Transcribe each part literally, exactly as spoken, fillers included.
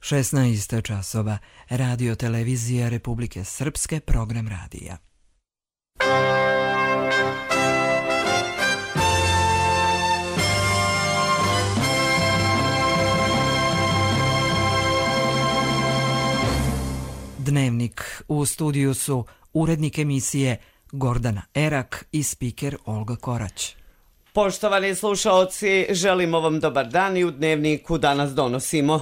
šesnaest časova, Radio Televizija Republike Srpske, program radija. Dnevnik. U studiju su urednik emisije Gordana Erak i spiker Olga Korać. Poštovani slušaoci, želimo vam dobar dan i u Dnevniku danas donosimo: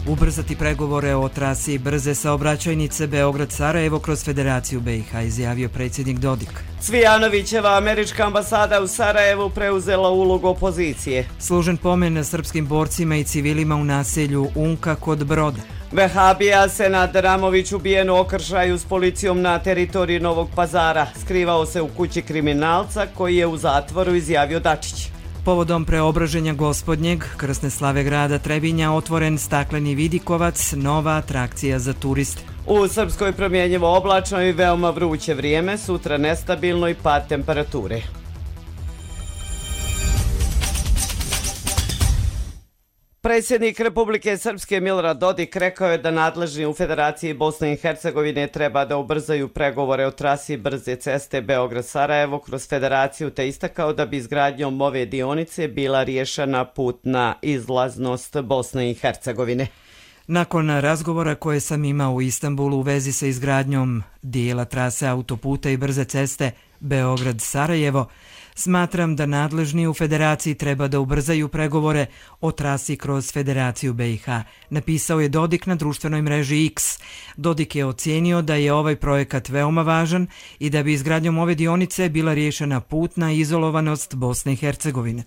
ubrzati pregovore o trasi brze saobraćajnice Beograd-Sarajevo kroz Federaciju B i H, izjavio predsjednik Dodik. Cvijanovićeva američka ambasada u Sarajevu preuzela ulogu opozicije. Služen pomen srpskim borcima i civilima u naselju Unka kod Broda. Vehabija Senad Ramović ubijen u okršaju s policijom na teritoriji Novog Pazara. Skrivao se u kući kriminalca koji je u zatvoru, izjavio Dačić. Povodom preobraženja Gospodnjeg, krsne slave grada Trebinja, otvoren stakleni vidikovac, nova atrakcija za turiste. U Srpskoj promjenjivo oblačno i veoma vruće vrijeme, sutra nestabilno i pad temperature. Predsjednik Republike Srpske Milorad Dodik rekao je da nadležni u Federaciji Bosne i Hercegovine treba da ubrzaju pregovore o trasi brze ceste Beograd-Sarajevo kroz Federaciju, te istakao da bi izgradnjom ove dionice bila riješena putna izlaznost Bosne i Hercegovine. Nakon razgovora koje sam imao u Istanbulu u vezi sa izgradnjom dijela trase autoputa i brze ceste Beograd-Sarajevo, smatram da nadležni u Federaciji treba da ubrzaju pregovore o trasi kroz Federaciju B i H, napisao je Dodik na društvenoj mreži X. Dodik je ocijenio da je ovaj projekat veoma važan i da bi izgradnjom ove dionice bila riješena putna izolovanost Bosne i Hercegovine.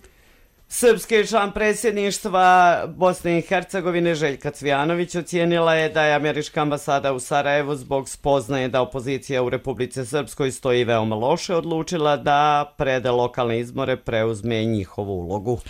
Srpski član predsjedništva Bosne i Hercegovine Željka Cvijanović ocijenila je da je američka ambasada u Sarajevu zbog spoznaje da opozicija u Republici Srpskoj stoji veoma loše odlučila da pred lokalne izbore preuzme njihovu ulogu.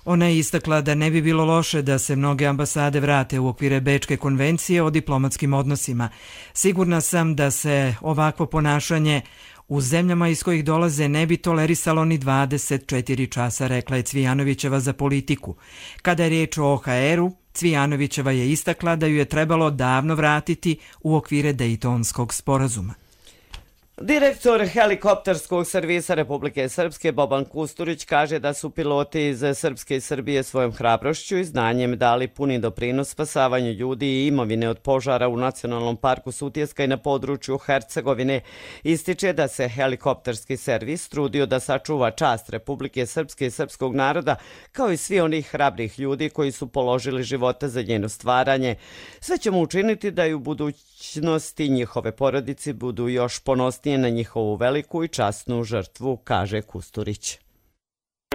Ona je istakla da ne bi bilo loše da se mnoge ambasade vrate u okvire Bečke konvencije o diplomatskim odnosima. Sigurna sam da se ovakvo ponašanje u zemljama iz kojih dolaze ne bi tolerisalo ni dvadeset četiri časa, rekla je Cvijanovićeva za Politiku. Kada je riječ o O H R-u, Cvijanovićeva je istakla da ju je trebalo davno vratiti u okvire Dejtonskog sporazuma. Direktor helikopterskog servisa Republike Srpske Boban Kusturić kaže da su piloti iz Srpske i Srbije svojom hrabrošću i znanjem dali puni doprinos spasavanju ljudi i imovine od požara u Nacionalnom parku Sutjeska i na području Hercegovine. Ističe da se helikopterski servis trudio da sačuva čast Republike Srpske i srpskog naroda, kao i svi onih hrabrih ljudi koji su položili života za njeno stvaranje. Sve ćemo učiniti da i u budućnosti njihove porodici budu još ponosnije na njihovu veliku i časnu žrtvu, kaže Kusturić.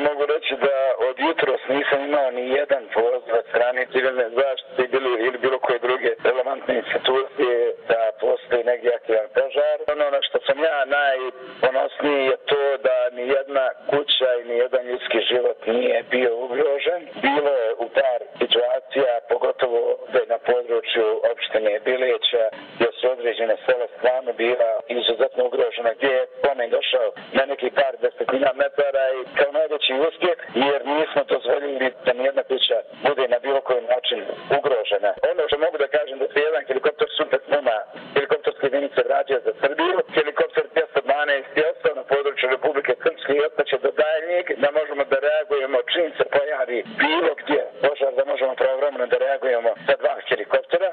Mogu reći da od jutros nisam imao ni jedan poziv od strane civilne zaštite ili bilo koje druge relevantne institucije da postoji negdje aktivan požar. Ono na što sam ja najponosniji je to da ni jedna kuća i ni jedan ljudski život nije bio ugrožen. Bilo je u par situacija, pogotovo da je na području opštine Bileća, gdje su određene sela stvarno bila izuzetno ugrožena, gdje je pomen došao na neki par desetina metara i kao najveći uspjeh, jer nismo dozvoljili da nijedna kuća bude na bilo koji način ugrožena. Ono što mogu da kažem da se jedan helikopter Super Puma helikopterske jedinice vratio za Srbiju, helikopter dvjesto dvanaest je ostao na području Republike Srpske i ostaće do daljnjeg, da možemo da reagujemo čim se pojavi bilo gdje požar, da možemo pravovremeno da reagujemo sa dva helikoptera.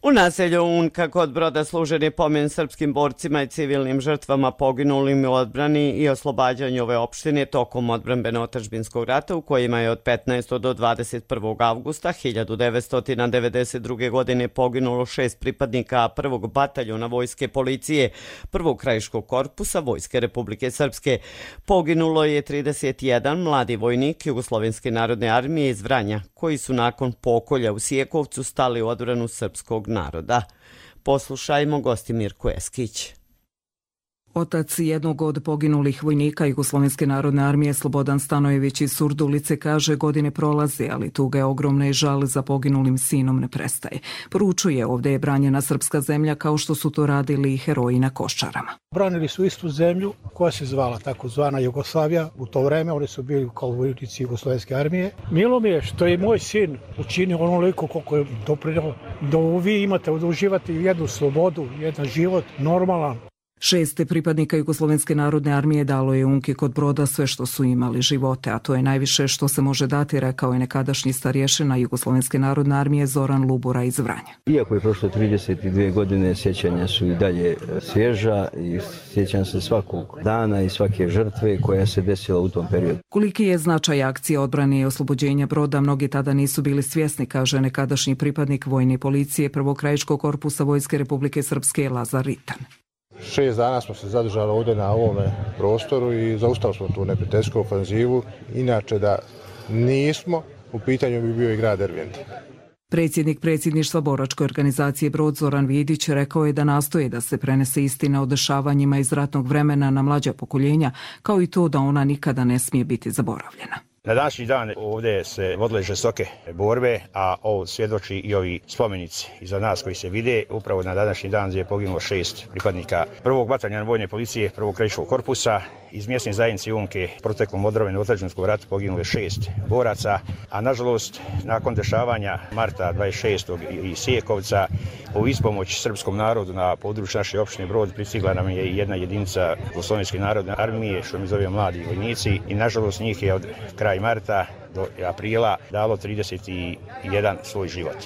U naselju Unka kod Broda služen je pomen srpskim borcima i civilnim žrtvama poginulim u odbrani i oslobađanju ove opštine tokom odbrambeno-otadžbinskog rata u kojima je od petnaestog do dvadeset prvog avgusta hiljadu devetsto devedeset druge. godine poginulo šest pripadnika prvog bataljona vojske policije prvog krajiškog korpusa Vojske Republike Srpske. Poginulo je trideset jedan mladi vojnik Jugoslovenske narodne armije iz Vranja, koji su nakon pokolja u Sjekovcu stali u odbranu srpskog naroda. Poslušajmo gosti Mirku Eskić. Otac jednog od poginulih vojnika Jugoslovenske narodne armije Slobodan Stanojević iz Surdulice kaže godine prolaze, ali tuga je ogromna i žal za poginulim sinom ne prestaje. Poručuje, ovdje je branjena srpska zemlja kao što su to radili i heroji na Koščarama. Branili su istu zemlju koja se zvala takozvana Jugoslavija. U to vreme oni su bili kao vojnici Jugoslovenske armije. Milo mi je što je moj sin učinio onoliko koliko je doprinio da vi imate, da uživate jednu slobodu, jedan život normalan. Šeste pripadnika Jugoslovenske narodne armije dalo je Unki kod Broda sve što su imali živote, a to je najviše što se može dati, rekao je nekadašnji starješina Jugoslovenske narodne armije Zoran Lubura iz Vranja. Iako je prošlo trideset dvije godine, sjećanja su i dalje svježa i sjećam se svakog dana i svake žrtve koja se desila u tom periodu. Koliki je značaj akcije odbrane i oslobođenja Broda, mnogi tada nisu bili svjesni, kaže nekadašnji pripadnik vojne policije Prvog krajiškog korpusa Vojske Republike Srpske Lazar Ritan. Šest dana smo se zadržali ovdje na ovome prostoru i zaustavili smo tu neprijateljsku ofanzivu. Inače da nismo, u pitanju bi bio i grad Dervent. Predsjednik predsjedništva boračke organizacije Brod Zoran Vidić rekao je da nastoje da se prenese istina o dešavanjima iz ratnog vremena na mlađa pokoljenja, kao i to da ona nikada ne smije biti zaboravljena. Na današnji dan ovdje se vodile žestoke borbe, a ovo svjedoči i ovi spomenici iza nas koji se vide. Upravo na današnji dan je poginulo šest pripadnika prvog bataljona vojne policije Prvog krajiškog korpusa. Iz mjesne zajednice Unke proteklom odbrane otadžbinskog rata poginulo šest boraca, a nažalost nakon dešavanja marta dvadeset šestog i Sijekovca u ispomoć srpskom narodu na području naše opštine Brod pristigla nam je jedna jedinica Jugoslovenske narodne armije, što mi zove mladi vojnici, i nažalost njih je od kraja marta do aprila dalo trideset jedan svoj život.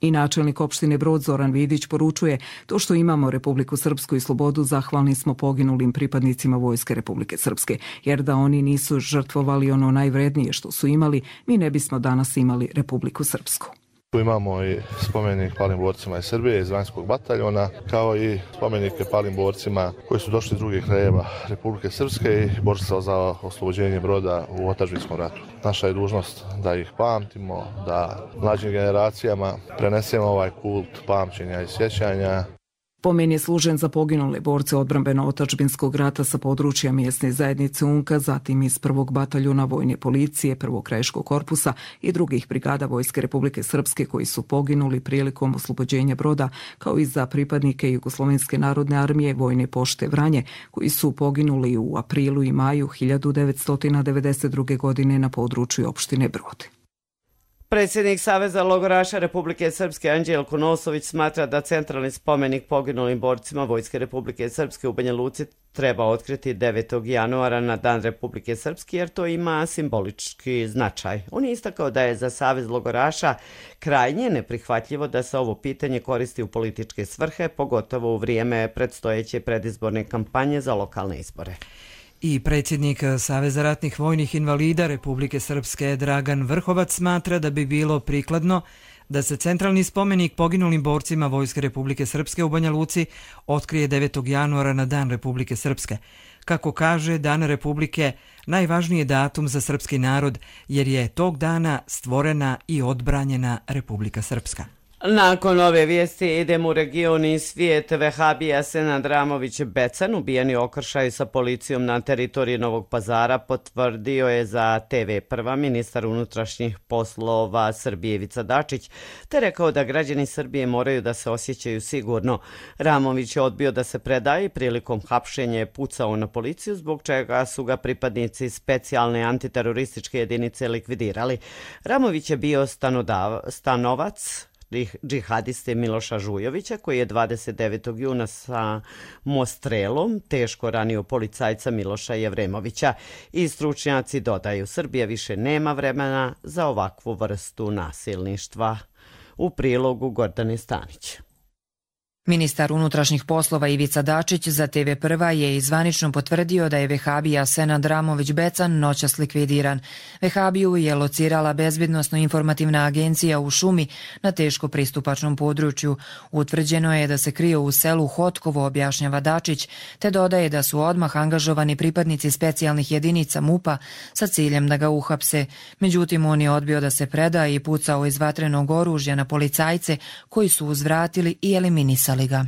I načelnik opštine Brod Zoran Vidić poručuje, to što imamo Republiku Srpsku i slobodu zahvalni smo poginulim pripadnicima Vojske Republike Srpske, jer da oni nisu žrtvovali ono najvrednije što su imali, mi ne bismo danas imali Republiku Srpsku. Tu imamo i spomenik palim borcima iz Srbije, iz vanjskog bataljona, kao i spomenike palim borcima koji su došli iz drugih krajeva Republike Srpske i borili se za oslobođenje Broda u otadžbinskom ratu. Naša je dužnost da ih pamtimo, da mlađim generacijama prenesemo ovaj kult pamćenja i sjećanja. Pomen je služen za poginule borce odbrambeno-otadžbinskog rata sa područja mjesne zajednice Unka, zatim iz prvog bataljuna vojne policije Prvog krajiškog korpusa i drugih brigada Vojske Republike Srpske koji su poginuli prilikom oslobođenja Broda, kao i za pripadnike Jugoslovenske narodne armije Vojne pošte Vranje, koji su poginuli u aprilu i maju hiljadu devetsto devedeset druge. godine na području opštine Brod. Predsjednik Saveza logoraša Republike Srpske Anđelko Nosović smatra da centralni spomenik poginulim borcima Vojske Republike Srpske u Banja Luci treba otkriti devetog januara na Dan Republike Srpske, jer to ima simbolički značaj. On je istakao da je za Savez logoraša krajnje neprihvatljivo da se ovo pitanje koristi u političke svrhe, pogotovo u vrijeme predstojeće predizborne kampanje za lokalne izbore. I predsjednik Saveza ratnih vojnih invalida Republike Srpske Dragan Vrhovac smatra da bi bilo prikladno da se centralni spomenik poginulim borcima Vojske Republike Srpske u Banja Luci otkrije devetog januara na Dan Republike Srpske. Kako kaže, Dan Republike najvažniji je datum za srpski narod, jer je tog dana stvorena i odbranjena Republika Srpska. Nakon ove vijesti idemo u region i svijet. Vehabija Senad Ramović Becan, ubijeni okršaj sa policijom na teritoriji Novog Pazara, potvrdio je za te ve prva ministar unutrašnjih poslova Srbije Ivica Dačić, te rekao da građani Srbije moraju da se osjećaju sigurno. Ramović je odbio da se predaje i prilikom hapšenja je pucao na policiju, zbog čega su ga pripadnici specijalne antiterorističke jedinice likvidirali. Ramović je bio stanodav, stanovac džihadiste Miloša Žujovića, koji je dvadeset devetog juna sa mostrelom teško ranio policajca Miloša Jevremovića. I stručnjaci dodaju, Srbija više nema vremena za ovakvu vrstu nasilništva. U prilogu Gordane Stanić. Ministar unutrašnjih poslova Ivica Dačić za te ve prva je izvanično potvrdio da je vehabija Senad Ramović Becan noćas likvidiran. Vehabiju je locirala bezbjednosno-informativna agencija u šumi na teško pristupačnom području. Utvrđeno je da se krio u selu Hotkovo, objašnjava Dačić, te dodaje da su odmah angažovani pripadnici specijalnih jedinica MUP-a sa ciljem da ga uhapse. Međutim, on je odbio da se preda i pucao iz vatrenog oružja na policajce koji su uzvratili i eliminisali opisali ga.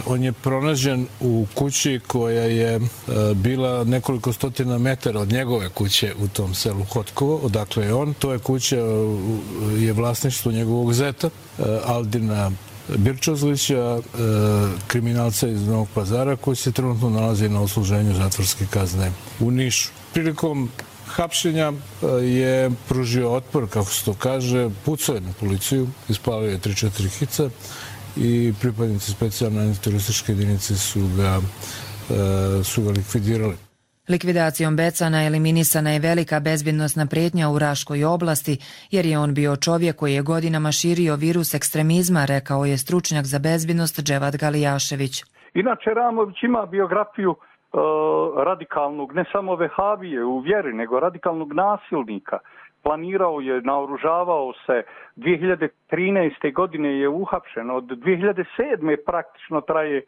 On je pronađen u kući koja je bila nekoliko stotina metara od njegove kuće u tom selu Hotkovo, odakle je on. To je kuća, je vlasništvo njegovog zeta, Aldina Birčozlića, kriminalca iz Novog Pazara, koji se trenutno nalazi na odsluženju zatvorske kazne u Nišu. Prilikom hapšenja je pružio otpor, kako se to kaže, pucao je na policiju, ispalio je tri četiri hica i pripadnici specijalne antiterorističke jedinice su ga, su ga likvidirali. Likvidacijom Becana eliminisana je velika bezbjednosna prijetnja u Raškoj oblasti, jer je on bio čovjek koji je godinama širio virus ekstremizma, rekao je stručnjak za bezbjednost Dževad Galijašević. Inače, Ramović ima biografiju e, radikalnog, ne samo vehabije u vjeri, nego radikalnog nasilnika. Planirao je, naoružavao se, dvije hiljade trinaeste. godine je uhapšen, od dvije hiljade sedme. praktično traje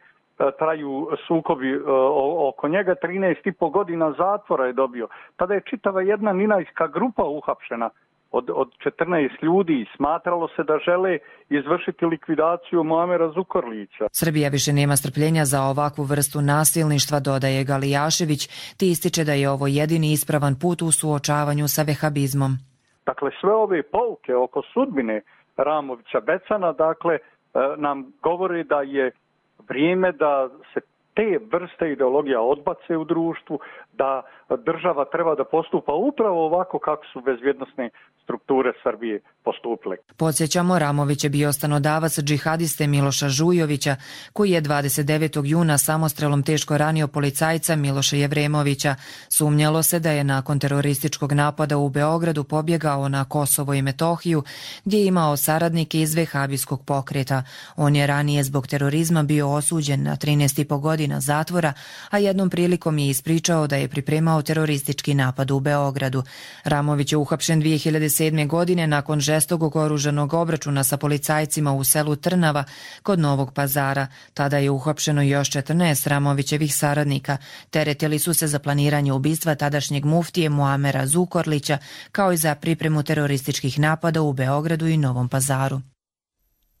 traju sukobi oko njega, trinaest i po godina zatvora je dobio. Tada je čitava jedna ninajska grupa uhapšena od, od četrnaest ljudi. Smatralo se da žele izvršiti likvidaciju Muamera Zukorlića. Srbija više nema strpljenja za ovakvu vrstu nasilništva, dodaje Galijašević, ti ističe da je ovo jedini ispravan put u suočavanju sa vehabizmom. Dakle, sve ove pouke oko sudbine Ramovića Becana, dakle, nam govori da je vrijeme da se te vrste ideologija odbace u društvu, da država treba da postupa upravo ovako kako su bezbjednosne strukture Srbije postupile. Podsjećamo, Ramović je bio stanodavac džihadiste Miloša Žujovića, koji je dvadeset devetog juna samostrelom teško ranio policajca Miloša Jevremovića. Sumnjalo se da je nakon terorističkog napada u Beogradu pobjegao na Kosovo i Metohiju, gdje je imao saradnike iz vehabijskog pokreta. On je ranije zbog terorizma bio osuđen na trinaest i po godina zatvora, a jednom prilikom je ispričao da je pripremao teroristički napad u Beogradu. Ramović je uhapšen dvije hiljade sedme. godine nakon žestokog oružanog obračuna sa policajcima u selu Trnava kod Novog Pazara. Tada je uhapšeno još četrnaest Ramovićevih saradnika. Teretili su se za planiranje ubistva tadašnjeg muftije Muamera Zukorlića, kao i za pripremu terorističkih napada u Beogradu i Novom Pazaru.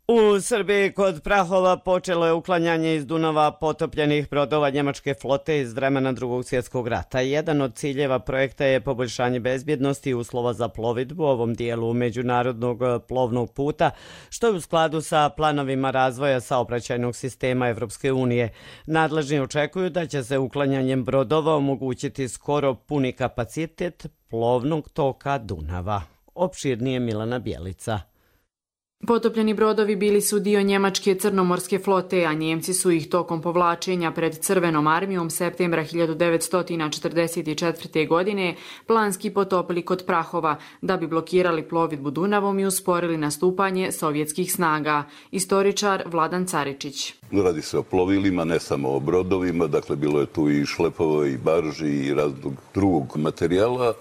U Srbiji kod Prahova počelo je uklanjanje iz Dunava potopljenih brodova njemačke flote iz vremena Drugog svjetskog rata. Jedan od ciljeva projekta je poboljšanje bezbjednosti i uslova za plovidbu u ovom dijelu međunarodnog plovnog puta, što je u skladu sa planovima razvoja saobraćajnog sistema Evropske unije. Nadležni očekuju da će se uklanjanjem brodova omogućiti skoro puni kapacitet plovnog toka Dunava. Opširnije Milana Bjelica. Potopljeni brodovi bili su dio njemačke crnomorske flote, a Njemci su ih tokom povlačenja pred Crvenom armijom septembra hiljadu devetsto četrdeset četvrte. godine planski potopili kod Prahova, da bi blokirali plovidbu Dunavom i usporili nastupanje sovjetskih snaga. Istoričar Vladan Caričić. Radi se o plovilima, ne samo o brodovima, dakle bilo je tu i šlepova i barži i raznog drugog materijala. E,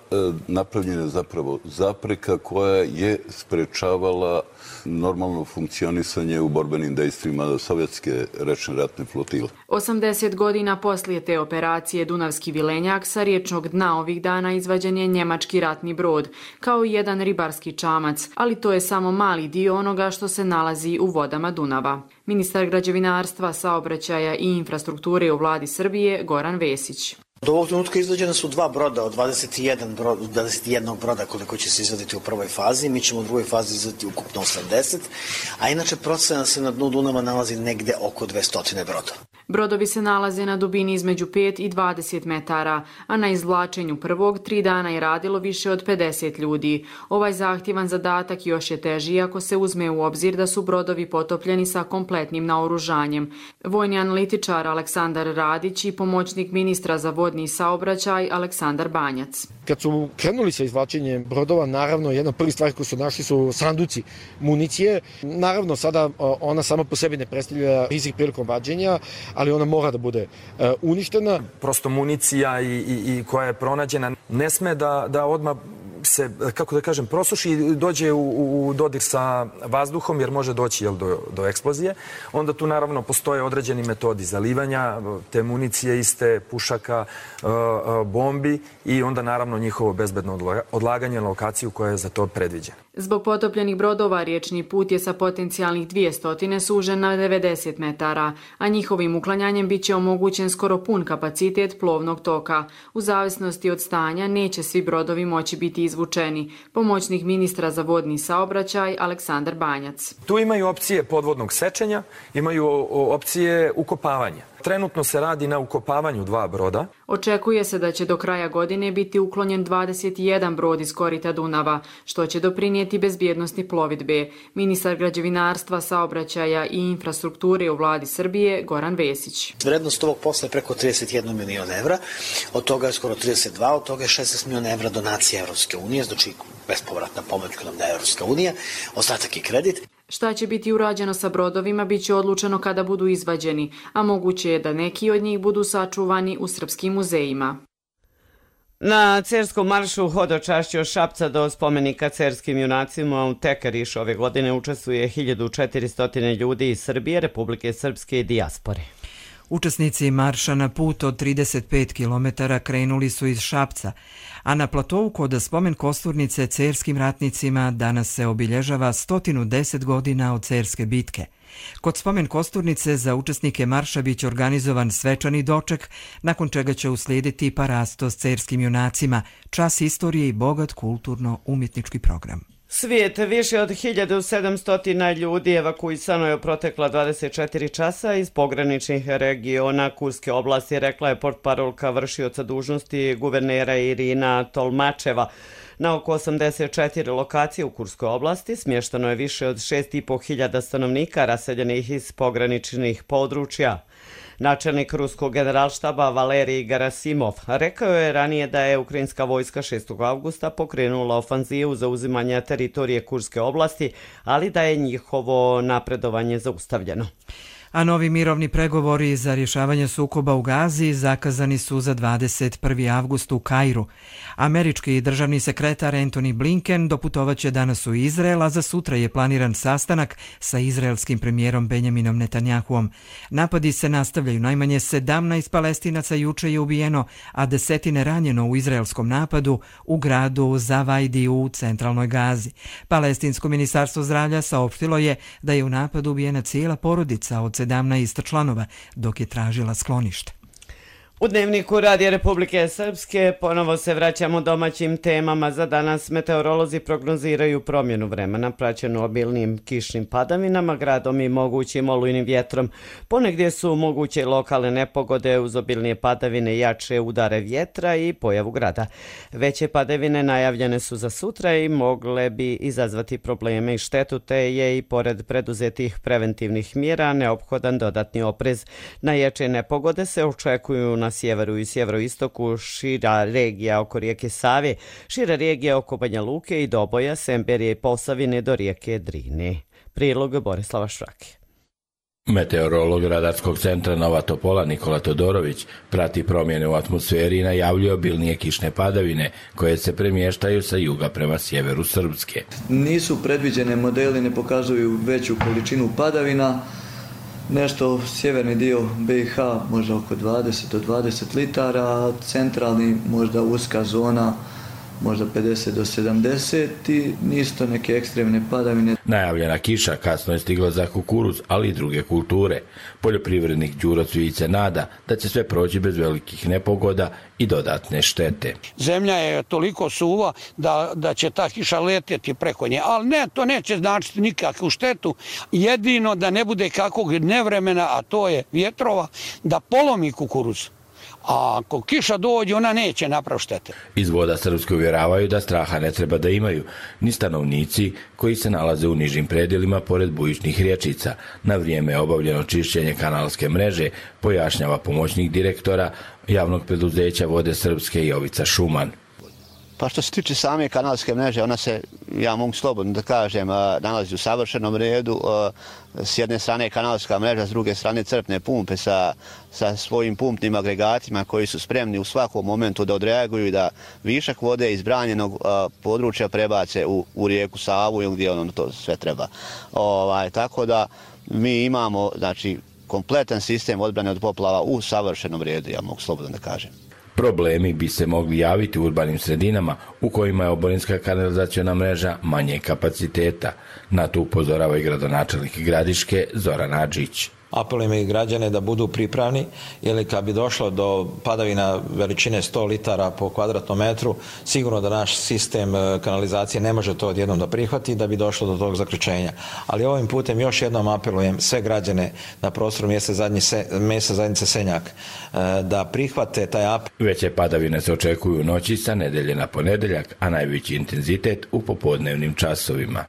napravljena je zapravo zapreka koja je sprečavala normalno funkcionisanje u borbenim dejstvima sovjetske rečne ratne flotile. osamdeset godina poslije te operacije Dunavski vilenjak sa riječnog dna ovih dana izvađen je njemački ratni brod, kao i jedan ribarski čamac, ali to je samo mali dio onoga što se nalazi u vodama Dunava. Ministar građevinarstva, saobraćaja i infrastrukture u vladi Srbije Goran Vesić. Do ovog trenutka izvađene su dva broda od dvadeset jedan, brod, dvadeset jedan broda koliko će se izvaditi u prvoj fazi. Mi ćemo u drugoj fazi izvaditi ukupno osamdeset, a inače procena se na dnu Dunava nalazi negde oko dvesta broda. Brodovi se nalaze na dubini između pet i dvadeset metara, a na izvlačenju prvog tri dana je radilo više od pedeset ljudi. Ovaj zahtjevan zadatak još je teži ako se uzme u obzir da su brodovi potopljeni sa kompletnim naoružanjem. Vojni analitičar Aleksandar Radić i pomoćnik ministra za vodni saobraćaj Aleksandar Banjac. Kad su krenuli sa izvlačenjem brodova, naravno jedna od prvih stvari koju su našli su sanduci municije. Naravno sada ona sama po sebi ne predstavlja rizik prilikom vađenja, ali ona mora da bude uh, uništena. Prosto municija i, i, i koja je pronađena ne sme da, da odmah se, kako da kažem, prosuši i dođe u, u dodir sa vazduhom, jer može doći jel, do, do eksplozije, onda tu naravno postoje određeni metodi zalivanja, te municije iste, pušaka, bombi i onda naravno njihovo bezbedno odlaganje na lokaciju koja je za to predviđena. Zbog potopljenih brodova riječni put je sa potencijalnih dvjesto sužen na devedeset metara, a njihovim uklanjanjem bit će omogućen skoro pun kapacitet plovnog toka. U zavisnosti od stanja neće svi brodovi moći biti izvučeni. Pomoćnik ministra za vodni saobraćaj Aleksandar Banjac. Tu imaju opcije podvodnog sečenja, imaju opcije ukopavanja. Trenutno se radi na ukopavanju dva broda. Očekuje se da će do kraja godine biti uklonjen dvadeset jedan brod iz korita Dunava, što će doprinijeti bezbjednosti plovidbe. Ministar građevinarstva, saobraćaja i infrastrukture u vladi Srbije Goran Vesić. Vrednost ovog posla je preko trideset jedan milion evra, od toga je skoro trideset dva, od toga je šesnaest miliona evra donacije Evropske unije, znači bespovratna pomoć koju nam daje Evropska unija, ostatak je kredit. Šta će biti urađeno sa brodovima bit će odlučeno kada budu izvađeni, a moguće je da neki od njih budu sačuvani u srpskim muzejima. Na cerskom maršu hodočašće od Šapca do spomenika cerskim junacima u Tekeriš ove godine učestvuje hiljadu četiristo ljudi iz Srbije, Republike Srpske i dijaspore. Učesnici marša na put od trideset pet kilometara krenuli su iz Šapca, a na platovu kod spomen kosturnice cerskim ratnicima danas se obilježava sto deset godina od cerske bitke. Kod spomen kosturnice za učesnike marša biće organizovan svečani doček, nakon čega će uslijediti parasto s cerskim junacima, čas istorije i bogat kulturno-umjetnički program. Svijet više od hiljadu sedamsto ljudi evakuisano je u protekla dvadeset četiri časa iz pograničnih regiona Kurske oblasti, rekla je portparolka vršioca dužnosti guvernera Irina Tolmačeva. Na oko osamdeset četiri lokacije u Kurskoj oblasti smješteno je više od šest i po hiljada stanovnika raseljenih iz pograničnih područja. Načelnik ruskog generalštaba Valerij Gerasimov rekao je ranije da je ukrajinska vojska šestog avgusta pokrenula ofanzivu za uzimanje teritorije Kurske oblasti, ali da je njihovo napredovanje zaustavljeno. A novi mirovni pregovori za rješavanje sukoba u Gazi zakazani su za dvadeset prvi avgust u Kairu. Američki državni sekretar Antony Blinken doputovaće danas u Izrael, a za sutra je planiran sastanak sa izraelskim premijerom Benjaminom Netanjahuom. Napadi se nastavljaju, najmanje sedamnaest Palestinaca juče je ubijeno, a desetine ranjeno u izraelskom napadu u gradu Zavajdi u centralnoj Gazi. Palestinsko ministarstvo zdravlja saopštilo je da je u napadu ubijena cijela porodica od sedamnaest članova, dok je tražila sklonište. U Dnevniku Radija Republike Srpske ponovo se vraćamo domaćim temama. Za danas meteorolozi prognoziraju promjenu vremena praćenu obilnim kišnim padavinama, gradom i mogućim olujnim vjetrom. Ponegdje su moguće lokalne nepogode uz obilnije padavine, jače udare vjetra i pojavu grada. Veće padavine najavljene su za sutra i mogle bi izazvati probleme i štetu, te je i pored preduzetih preventivnih mjera neophodan dodatni oprez. Najjače nepogode se očekuju na sjeveru i sjeveroistoku, šira regija oko rijeke Save, šira regija oko Banja Luke i Doboja, Semberije i Posavine do rijeke Drine. Prilog Borislava Šrake. Meteorolog Radarskog centra Nova Topola Nikola Todorović prati promjene u atmosferi i najavljuje obilnije kišne padavine koje se premještaju sa juga prema sjeveru Srpske. Nisu predviđene modeli, ne pokazuju veću količinu padavina. Nešto sjeverni dio B i H možda oko dvadeset do dvadeset litara, centralni možda uska zona možda pedeset do sedamdeset i nisu to neke ekstremne padavine. Najavljena kiša kasno je stigla za kukuruz, ali i druge kulture. Poljoprivrednik Đuro Cvijić se nada da će sve proći bez velikih nepogoda i dodatne štete. Zemlja je toliko suva da, da će ta kiša letjeti preko nje, ali ne, to neće značiti nikakvu štetu, jedino da ne bude kakvog nevremena, a to je vjetrova, da polomi kukuruz. A ako kiša dođe, ona neće napraviti štete. Iz Voda Srpske uvjeravaju da straha ne treba da imaju ni stanovnici koji se nalaze u nižim predjelima pored bujičnih rječica. Na vrijeme je obavljeno čišćenje kanalske mreže, pojašnjava pomoćnik direktora javnog preduzeća Vode Srpske Jovica Šuman. Pa što se tiče same kanalske mreže, ona se, ja mogu slobodno da kažem, nalazi u savršenom redu. S jedne strane kanalska mreža, s druge strane crpne pumpe sa, sa svojim pumpnim agregatima koji su spremni u svakom momentu da odreaguju i da višak vode iz branjenog područja prebace u, u rijeku Savu ili gdje ono to sve treba. Ovaj, tako da mi imamo, znači, kompletan sistem odbrane od poplava u savršenom redu, ja mogu slobodno da kažem. Problemi bi se mogli javiti u urbanim sredinama u kojima je oborinska kanalizaciona mreža manje kapaciteta. Na to upozorava i gradonačelnik Gradiške Zoran Adžić. Apelujem i građane da budu pripravni, jer kad bi došlo do padavina veličine sto litara po kvadratnom metru, sigurno da naš sistem kanalizacije ne može to odjednom da prihvati da bi došlo do tog zaključenja. Ali ovim putem još jednom apelujem sve građane na prostoru mjesta zajednice Senjak da prihvate taj apel. Veće padavine se očekuju u noći sa nedelje na ponedeljak, a najveći intenzitet u popodnevnim časovima.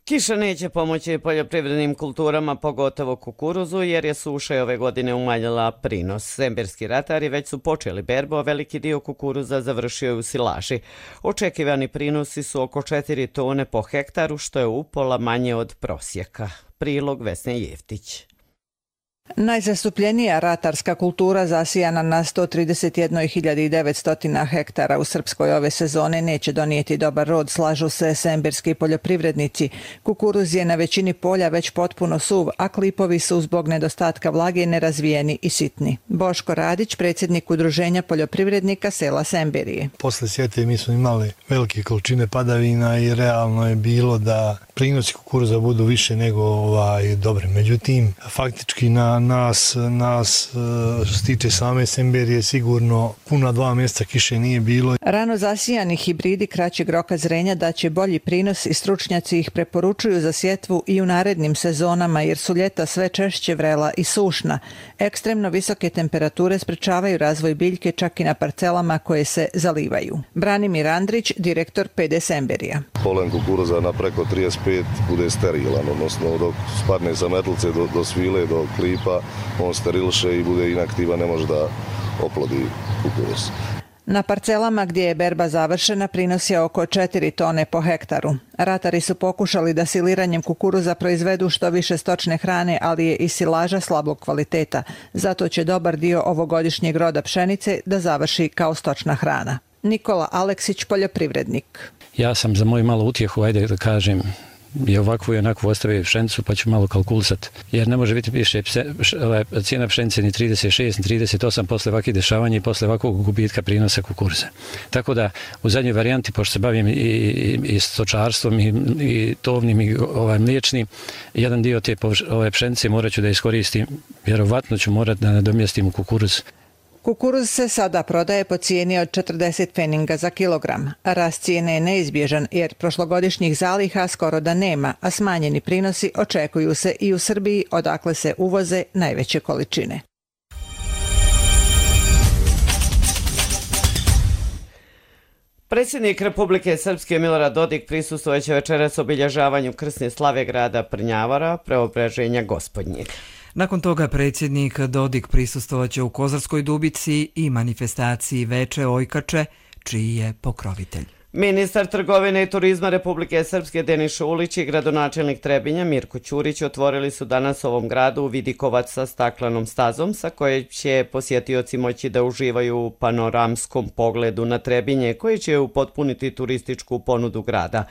Kiša neće pomoći poljoprivrednim kulturama, pogotovo kukuruzu, jer je suša ove godine umanjila prinos. Semberski ratari već su počeli berbu, a veliki dio kukuruza završio je u silaži. Očekivani prinosi su oko četiri tone po hektaru, što je upola manje od prosjeka. Prilog Vesne Jeftić. Najzastupljenija ratarska kultura zasijana na sto trideset jedna hiljada devetsto hektara u Srpskoj ove sezone neće donijeti dobar rod, slažu se semberski poljoprivrednici. Kukuruz je na većini polja već potpuno suv, a klipovi su zbog nedostatka vlage nerazvijeni i sitni. Boško Radić, predsjednik udruženja poljoprivrednika sela Semberije. Posle sjete mi smo imali velike količine padavina i realno je bilo da prinosi kukuruza budu više nego ovaj, dobre. Međutim, faktički na nas, nas što se tiče same Semberije sigurno puna dva mjeseca kiše nije bilo. Rano zasijani hibridi kraćeg roka zrenja daće bolji prinos i stručnjaci ih preporučuju za sjetvu i u narednim sezonama jer su ljeta sve češće vrela i sušna. Ekstremno visoke temperature sprečavaju razvoj biljke čak i na parcelama koje se zalivaju. Branimir Andrić, direktor P D Semberija. Polen kukuruza na preko trideset pet bude sterilan, odnosno dok spadne sa metlice do, do svile, do klipa, on sterilše i bude inaktivan, ne može da oplodi kukuruz. Na parcelama gdje je berba završena prinos je oko četiri tone po hektaru. Ratari su pokušali da siliranjem kukuruza proizvedu što više stočne hrane, ali je i silaža slabog kvaliteta. Zato će dobar dio ovogodišnjeg roda pšenice da završi kao stočna hrana. Nikola Aleksić, poljoprivrednik. Ja sam za moju malu utjehu, ajde da kažem, i ovakvu i onakvu ostavio pšenicu, pa ću malo kalkulisati. Jer ne može biti više pse, ove, cijena pšenice ni trideset šest, ni trideset osam posle ovakvih dešavanja i posle ovakvog gubitka prinosa kukuruza. Tako da u zadnjoj varijanti, pošto se bavim i, i, i stočarstvom i, i tovnim i ovaj, mliječnim, jedan dio te ove pšenice morat ću da iskoristim, vjerovatno ću morat da nadomjestim u kukuruz. Kukuruz se sada prodaje po cijeni od četrdeset pfeninga za kilogram. Rast cijene je neizbježan jer prošlogodišnjih zaliha skoro da nema, a smanjeni prinosi očekuju se i u Srbiji, odakle se uvoze najveće količine. Predsjednik Republike Srpske Milorad Dodik prisustvojeće večeras obilježavanju krsne slave grada Prnjavora, Preobraženja Gospodnjeg. Nakon toga predsjednik Dodik prisustvovaće u Kozarskoj Dubici i manifestaciji Veče Ojkače, čiji je pokrovitelj. Ministar trgovine i turizma Republike Srpske Denis Šulić i gradonačelnik Trebinja Mirko Ćurić otvorili su danas ovom gradu Vidikovac sa staklenom stazom sa koje će posjetioci moći da uživaju u panoramskom pogledu na Trebinje koji će upotpuniti turističku ponudu grada.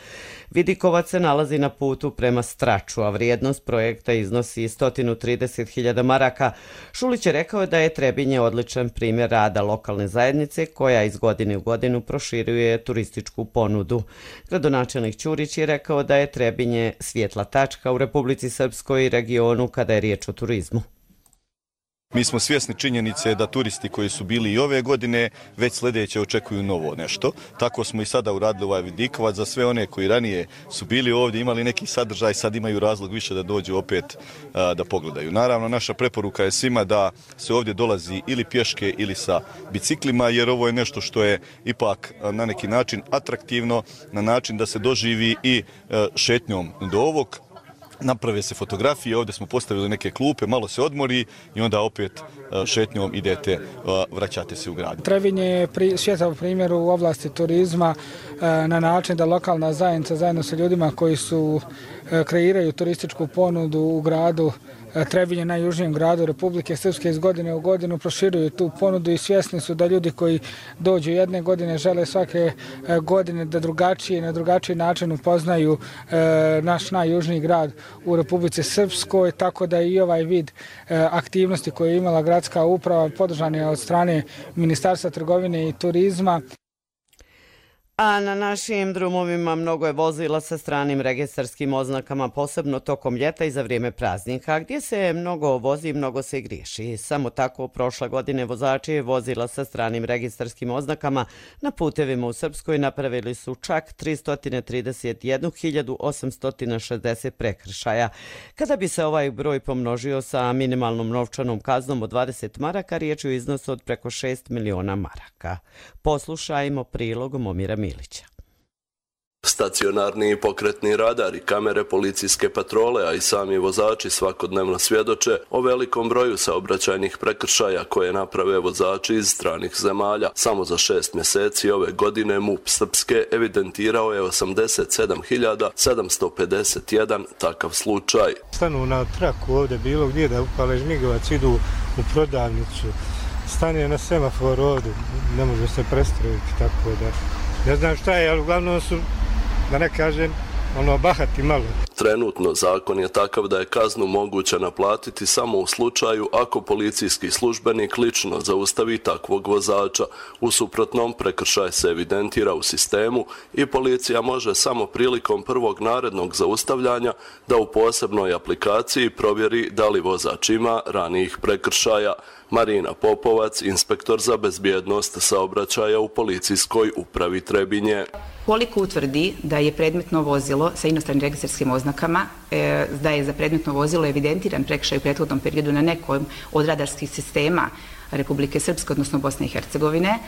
Vidikovac se nalazi na putu prema Straču, a vrijednost projekta iznosi sto trideset hiljada maraka. Šulić je rekao da je Trebinje odličan primjer rada lokalne zajednice koja iz godine u godinu proširuje turističku ponudu. Gradonačelnik Ćurić je rekao da je Trebinje svjetla tačka u Republici Srpskoj i regionu kada je riječ o turizmu. Mi smo svjesni činjenice da turisti koji su bili i ove godine već sljedeće očekuju novo nešto. Tako smo i sada uradili ovaj Vidikovac za sve one koji ranije su bili ovdje, imali neki sadržaj, sad imaju razlog više da dođu opet a, da pogledaju. Naravno, naša preporuka je svima da se ovdje dolazi ili pješke ili sa biciklima, jer ovo je nešto što je ipak a, na neki način atraktivno, na način da se doživi i a, šetnjom do ovog naprave se fotografije, ovdje smo postavili neke klupe, malo se odmori i onda opet šetnjom idete, vraćate se u grad. Trebinje je pri, svjetao primjer u oblasti turizma na način da lokalna zajednica zajedno sa ljudima koji su kreiraju turističku ponudu u gradu Trebinje, najjužnijem gradu Republike Srpske, iz godine u godinu proširuju tu ponudu i svjesni su da ljudi koji dođu jedne godine žele svake godine da drugačije, na drugačiji način upoznaju naš najjužniji grad u Republici Srpskoj, tako da i ovaj vid aktivnosti koje je imala gradska uprava podržan je od strane Ministarstva trgovine i turizma. A na našim drumovima mnogo je vozila sa stranim registarskim oznakama, posebno tokom ljeta i za vrijeme praznika, gdje se mnogo vozi i mnogo se griješi. Samo tako prošle godine vozači vozila sa stranim registarskim oznakama na putevima u Srpskoj napravili su čak tristo trideset jednu hiljadu osamsto šezdeset prekršaja. Kada bi se ovaj broj pomnožio sa minimalnom novčanom kaznom od dvadeset maraka, riječ je o iznosu od preko šest miliona maraka. Poslušajmo prilog Momira Milića. Stacionarni i pokretni radari, kamere policijske patrole, a i sami vozači svakodnevno svjedoče o velikom broju saobraćajnih prekršaja koje naprave vozači iz stranih zemalja. Samo za šest mjeseci ove godine MUP Srpske evidentirao je osamdeset sedam hiljada sedamsto pedeset jedan takav slučaj. Stanu na traku ovdje bilo gdje da upale žmigovac, idu u prodavnicu, stane na semaforu ovdje, ne može se prestrojiti, tako da ne znam šta je, ali uglavnom su, da ne kažem, ono, bahati malo. Trenutno zakon je takav da je kaznu moguće naplatiti samo u slučaju ako policijski službenik lično zaustavi takvog vozača. U suprotnom, prekršaj se evidentira u sistemu i policija može samo prilikom prvog narednog zaustavljanja da u posebnoj aplikaciji provjeri da li vozač ima ranijih prekršaja. Marina Popovac, inspektor za bezbjednost saobraćaja u policijskoj upravi Trebinje. Koliko utvrdi da je predmetno vozilo sa inostranim registarskim oznakama, da je za predmetno vozilo evidentiran prekršaj u prethodnom periodu na nekom od radarskih sistema Republike Srpske, odnosno Bosne i Hercegovine,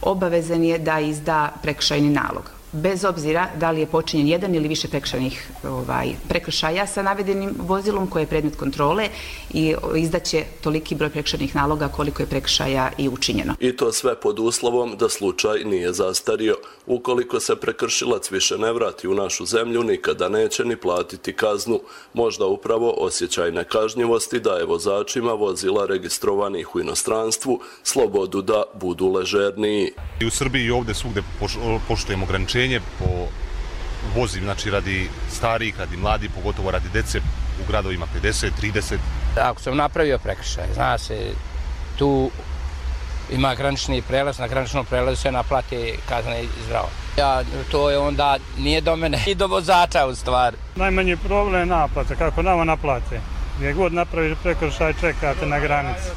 obavezan je da izda prekršajni nalog. Bez obzira da li je počinjen jedan ili više prekršajnih ovaj, prekršaja sa navedenim vozilom koje je predmet kontrole i izdaće toliki broj prekršajnih naloga koliko je prekršaja i učinjeno. I to sve pod uslovom da slučaj nije zastario. Ukoliko se prekršilac više ne vrati u našu zemlju, nikada neće ni platiti kaznu. Možda upravo osjećaj nekažnjivosti daje vozačima vozila registrovanih u inostranstvu slobodu da budu ležerniji. I u Srbiji i ovdje svugde poštujemo ograničenje po vozim, znači radi starih, radi mladih, pogotovo radi dece u gradovima pedeset, trideset. Ako sam napravio prekršaj, zna se, tu ima granični prelaz, na graničnom prelazu se naplati kazna i zdravo. Ja, to je onda nije do mene i do vozača u stvari. Najmanji problem je naplata, kako nama naplate. Gdje god napraviš prekršaj, čekate na granici.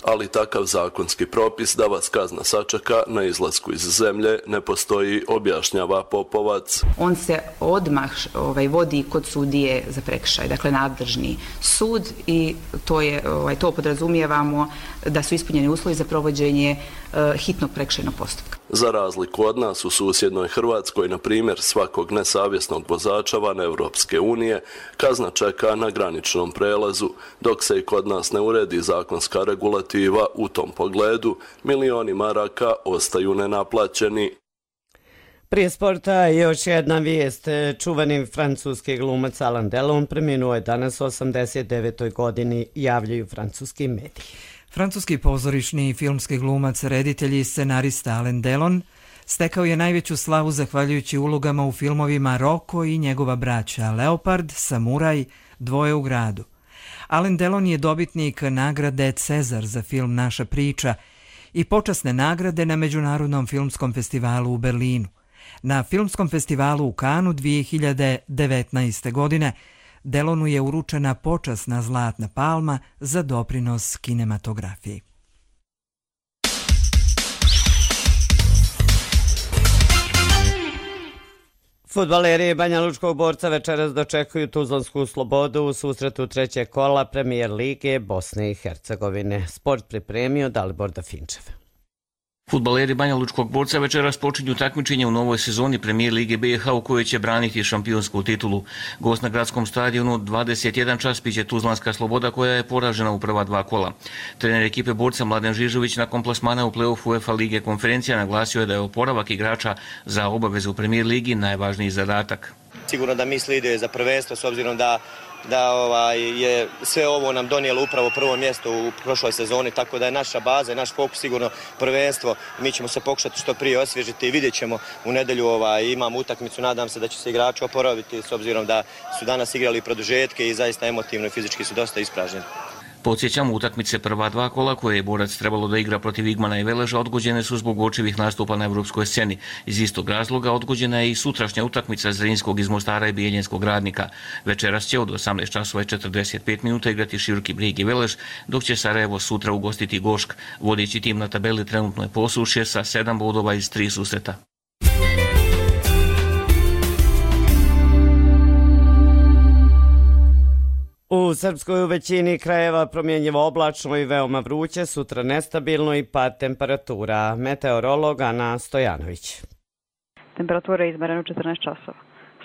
Ali takav zakonski propis da vas kazna sačeka na izlasku iz zemlje ne postoji, objašnjava Popovac. On se odmah ovaj, vodi kod sudije za prekršaj, dakle nadležni sud, i to, je, ovaj, to podrazumijevamo da su ispunjeni uslovi za provođenje uh, hitnog prekršajnog postupka. Za razliku od nas u susjednoj Hrvatskoj, na primjer, svakog nesavjesnog vozača van Evropske unije kazna čeka na graničnom prelazu, dok se i kod nas ne uredi zakonska regulativa u tom pogledu, milioni maraka ostaju nenaplaćeni. Prije sporta još jedna vijest. Čuveni francuski glumac Alain Delon preminuo je danas u osamdeset devetoj godini, javljaju francuski mediji. Francuski pozorišni i filmski glumac, reditelj i scenarista Alain Delon stekao je najveću slavu zahvaljujući ulogama u filmovima Roko i njegova braća, Leopard, Samuraj, Dvoje u gradu. Alain Delon je dobitnik nagrade Cezar za film Naša priča i počasne nagrade na Međunarodnom filmskom festivalu u Berlinu. Na filmskom festivalu u Kanu dvije hiljade devetnaeste. godine Delonu je uručena počasna Zlatna palma za doprinos kinematografiji. Fudbaleri Banja Lučkog Borca večeras dočekuju Tuzlansku Slobodu u susretu trećeg kola Premijer lige Bosne i Hercegovine. Sport pripremio Dalibor Dafinčev. Fudbaleri Banja Lučkog Borca večeras počinju takmičenje u novoj sezoni Premijer Lige B i H u kojoj će braniti šampionsku titulu. Gost na gradskom stadionu dvadeset jedan čas biće Tuzlanska Sloboda koja je poražena u prva dva kola. Trener ekipe Borca Mladen Žižović nakon plasmana u play-off UEFA Lige konferencija naglasio je da je oporavak igrača za obavezu u Premijer Ligi najvažniji zadatak. Sigurno da misli ide za prvenstvo s obzirom da da ovaj, je sve ovo nam donijelo upravo prvo mjesto u prošloj sezoni, tako da je naša baza i naš fokus sigurno prvenstvo. Mi ćemo se pokušati što prije osvježiti i vidjet ćemo u nedjelju, ovaj, imamo utakmicu, nadam se da će se igrači oporaviti s obzirom da su danas igrali produžetke i zaista emotivno i fizički su dosta ispražnjeni. Podsjećamo, utakmice prva dva kola koje je Borac trebalo da igra protiv Igmana i Veleža odgođene su zbog očevih nastupa na evropskoj sceni. Iz istog razloga odgođena je i sutrašnja utakmica Zrinskog iz Mostara i Bijeljenskog Radnika. Večeras će od osamnaest časova i četrdeset pet minuta igrati Široki Brijeg i Velež, dok će Sarajevo sutra ugostiti Gošk. Vodeći tim na tabeli trenutno je Posušje sa sedam bodova iz tri susreta. U Srpskoj u većini krajeva promjenjivo oblačno i veoma vruće, sutra nestabilno i pad temperatura. Meteorolog Ana Stojanović. Temperatura je izmerena u četrnaest časova.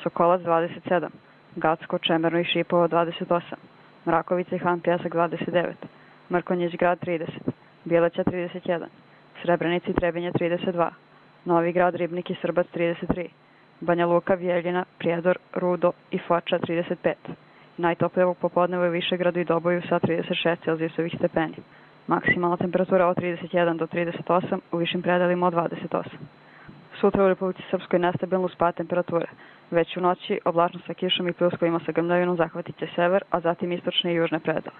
Sokolac dvadeset sedam, Gacko, Čemerno i Šipovo dvadeset osam, Mrakovica i Han Pjesak dvadeset devet, Mrkonjić Grad trideset, Bjeleća trideset jedan, Srebrenica i Trebinje trideset dva, Novi Grad, Ribnik i Srbac trideset tri, Banja Luka, Vjeljina, Prijedor, Rudo i Foča trideset pet. Najtoplije ovog popodneva u Višegradu i Doboju sa trideset šest celzijusovih stepeni. Maksimalna temperatura od trideset jedan do trideset osam, u višim predelima od dvadeset osam. Sutra u Republici Srpskoj nestabilno spad temperature. Već u noći oblačno sa kišom i pljuskovima sa grmljavinom zahvatit će sever, a zatim istočne i južne predele.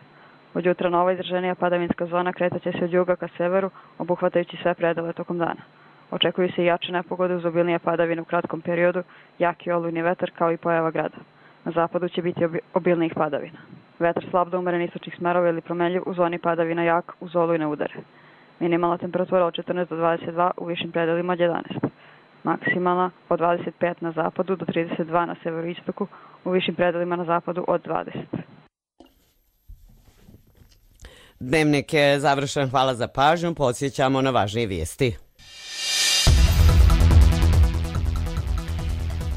Od jutra nova izraženija padavinska zona kretaće se od juga ka severu, obuhvatajući sve predele tokom dana. Očekuju se i jače nepogode uz obilnije padavine u kratkom periodu, jaki olujni vetar kao i pojava grada. Na zapadu će biti obilnijih padavina. Vetar slab do umeren istočnih smerova ili promenljiv, u zoni padavina jak, uz olujne udare. Minimalna temperatura od četrnaest do dvadeset dva, u višim predelima od jedanaest. Maksimalna od dvadeset pet na zapadu do trideset dva na severoistoku, u višim predelima na zapadu od dvadeset. Dnevnik je završen, hvala za pažnju, podsjećamo na važnije vijesti.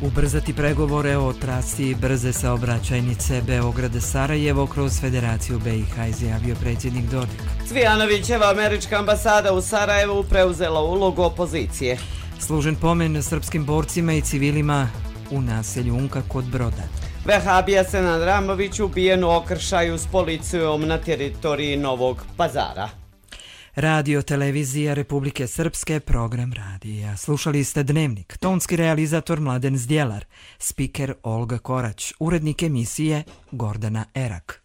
Ubrzati pregovore o trasi brze saobraćajnice Beograd-Sarajevo kroz Federaciju B i H, izjavio predsjednik Dodik. Cvijanovićeva američka ambasada u Sarajevu preuzela ulogu opozicije. Služen pomen srpskim borcima i civilima u naselju Unka kod Broda. Vehabija Senad Ramović ubijen u okršaju s policijom na teritoriji Novog Pazara. Radio televizija Republike Srpske, program radija. Slušali ste Dnevnik, tonski realizator Mladen Zdjelar, spiker Olga Korać, urednik emisije Gordana Erak.